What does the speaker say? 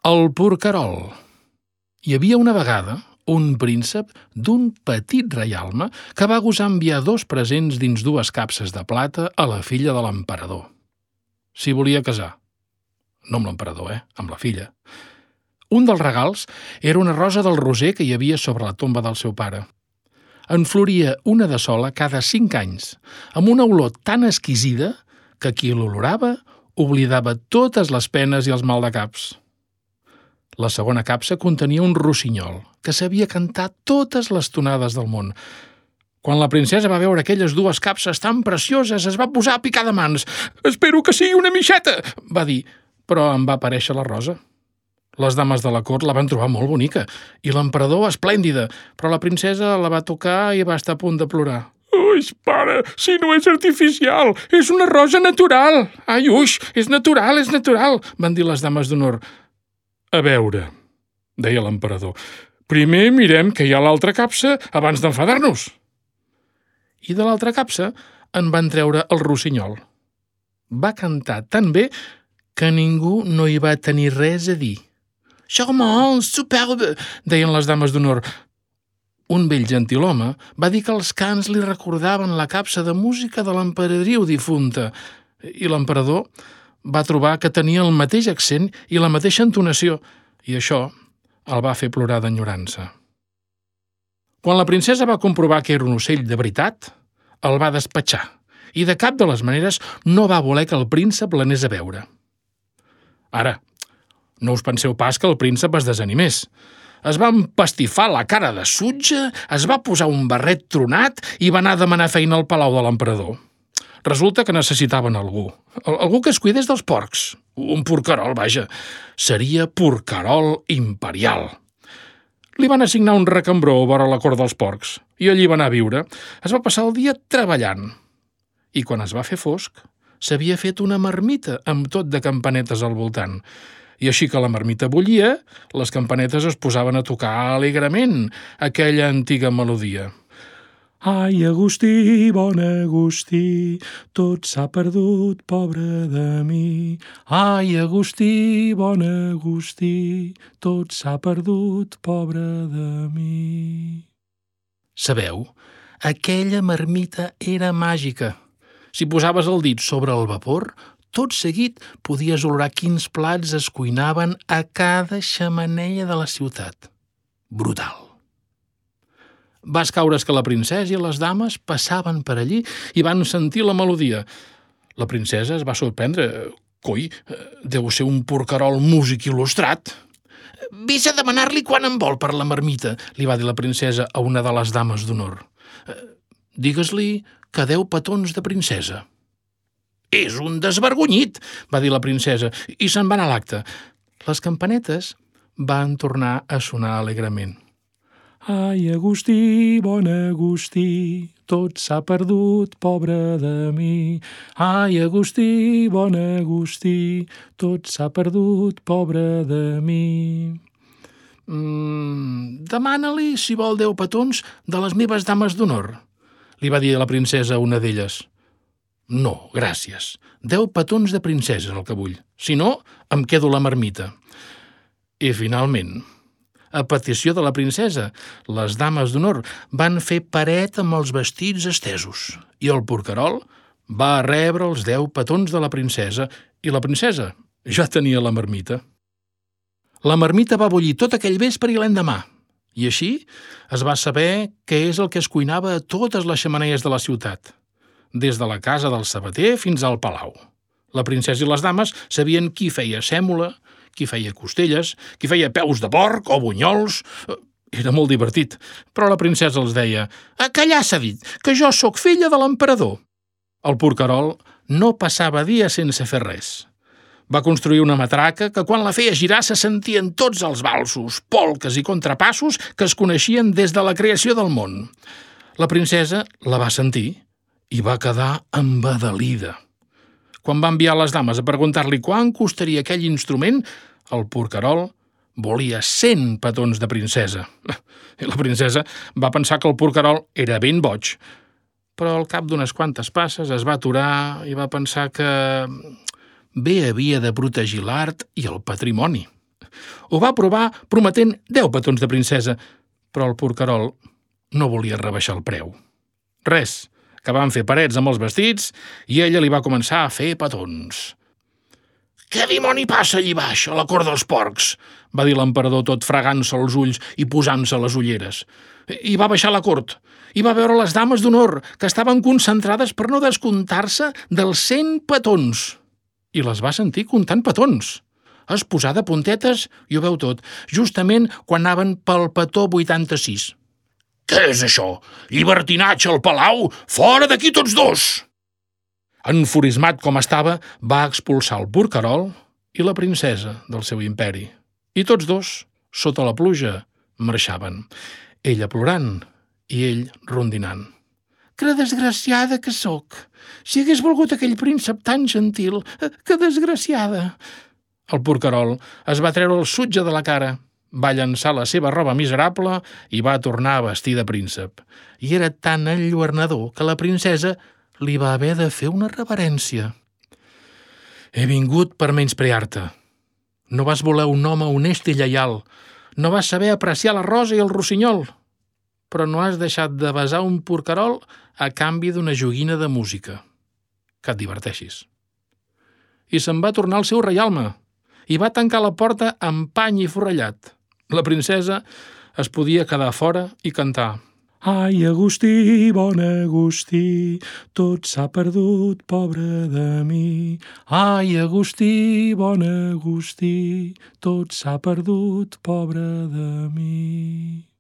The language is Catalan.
El porquerol. Hi havia una vegada un príncep d'un petit reialme que va gosar enviar 2 presents dins 2 capses de plata a la filla de l'emperador. S'hi volia casar. No amb l'emperador, amb la filla. Un dels regals era una rosa del roser que hi havia sobre la tomba del seu pare. En floria una de sola cada 5 anys, amb una olor tan exquisida que qui l'olorava oblidava totes les penes i els maldecaps. La segona capsa contenia un rossinyol, que sabia cantar totes les tonades del món. Quan la princesa va veure aquelles 2 capses tan precioses, es va posar a picar de mans. «Espero que sigui una mixeta!», va dir, però en va aparèixer la rosa. Les dames de la cort la van trobar molt bonica i l'emperador esplèndida, però la princesa la va tocar i va estar a punt de plorar. «Uix, pare, si no és artificial, és una rosa natural! Ai, uix, és natural, van dir les dames d'honor. «A veure», deia l'emperador, «primer mirem que hi ha a l'altra capsa abans d'enfadar-nos». I de l'altra capsa en van treure el rossinyol. Va cantar tan bé que ningú no hi va tenir res a dir. «Charmant, superbe», deien les dames d'honor. Un vell gentilhome va dir que els cants li recordaven la capsa de música de l'emperadriu difunta i l'emperador va trobar que tenia el mateix accent i la mateixa entonació i això el va fer plorar d'enyorança. Quan la princesa va comprovar que era un ocell de veritat, el va despatxar i de cap de les maneres no va voler que el príncep l'anés a veure. Ara, no us penseu pas que el príncep es desanimés. Es va empastifar la cara de sutge, es va posar un barret tronat i va anar a demanar feina al palau de l'emperador. Resulta que necessitaven algú que es cuidés dels porcs. Un porquerol, vaja. Seria porquerol imperial. Li van assignar un recambró vora la cort dels porcs i allí va anar a viure. Es va passar el dia treballant. I quan es va fer fosc, s'havia fet una marmita amb tot de campanetes al voltant. I així que la marmita bullia, les campanetes es posaven a tocar alegrement aquella antiga melodia. Ai, Agustí, bon Agustí, tot s'ha perdut, pobre de mi. Ai, Agustí, bon Agustí, tot s'ha perdut, pobre de mi. Sabeu, aquella marmita era màgica. Si posaves el dit sobre el vapor, tot seguit podies olorar quins plats es cuinaven a cada xemeneia de la ciutat. Brutal. Va escaure's que la princesa i les dames passaven per allí i van sentir la melodia. La princesa es va sorprendre. «Coi, deu ser un porquerol músic il·lustrat». «Ves a demanar-li quan en vol per la marmita», li va dir la princesa a una de les dames d'honor. «Digues-li que 10 petons de princesa». «És un desvergonyit», va dir la princesa, i se'n va anar a l'acte. Les campanetes van tornar a sonar alegrement. Ai, Agustí, bon Agustí, tot s'ha perdut, pobre de mi. Ai, Agustí, bon Agustí, tot s'ha perdut, pobre de mi. Demana-li si vol 10 petons de les meves dames d'honor, li va dir a la princesa una d'elles. No, gràcies. 10 petons de princesa és el que vull. Si no, em quedo la marmita. I finalment, a petició de la princesa, les dames d'honor van fer paret amb els vestits estesos i el porquerol va rebre els 10 petons de la princesa i la princesa ja tenia la marmita. La marmita va bullir tot aquell vespre i l'endemà i així es va saber què és el que es cuinava a totes les xemeneies de la ciutat, des de la casa del sabater fins al palau. La princesa i les dames sabien qui feia sèmola, qui feia costelles, qui feia peus de porc o bunyols. Era molt divertit, però la princesa els deia «A callar s'ha dit, que jo sóc filla de l'emperador». El porquerol no passava dia sense fer res. Va construir una matraca que quan la feia girar se sentien tots els valsos, polques i contrapassos que es coneixien des de la creació del món. La princesa la va sentir i va quedar embadalida. Quan va enviar les dames a preguntar-li quant costaria aquell instrument, el porquerol volia 100 petons de princesa. I la princesa va pensar que el porquerol era ben boig, però al cap d'unes quantes passes es va aturar i va pensar que bé havia de protegir l'art i el patrimoni. Ho va provar prometent 10 petons de princesa, però el porquerol no volia rebaixar el preu. Res, que van fer parets amb els vestits i ella li va començar a fer petons. «Què dimoni passa allí baix, a la cort dels porcs?», va dir l'emperador tot fregant-se els ulls i posant-se les ulleres. I va baixar a la cort i va veure les dames d'honor, que estaven concentrades per no descomptar-se dels 100 petons. I les va sentir comptant petons. Es posà de puntetes i ho veu tot, justament quan anaven pel petó 86. «Què és això? Llibertinatge al palau? Fora d'aquí tots dos!» Enfurismat com estava, va expulsar el porquerol i la princesa del seu imperi. I tots dos, sota la pluja, marxaven. Ella plorant i ell rondinant. «Que desgraciada que sóc! Si hagués volgut aquell príncep tan gentil, que desgraciada!» El porquerol es va treure el sutge de la cara, va llançar la seva roba miserable i va tornar a vestir de príncep. I era tan enlluernador que la princesa li va haver de fer una reverència. «He vingut per menysprear-te. No vas voler un home honest i lleial. No vas saber apreciar la rosa i el rossinyol. Però no has deixat de besar un porquerol a canvi d'una joguina de música. Que et diverteixis». I se'n va tornar al seu reialme i va tancar la porta amb pany i forrellat. La princesa es podia quedar fora i cantar. «Ai, Agustí, bon Agustí, tot s'ha perdut, pobre de mi. Ai, Agustí, bon Agustí, tot s'ha perdut, pobre de mi».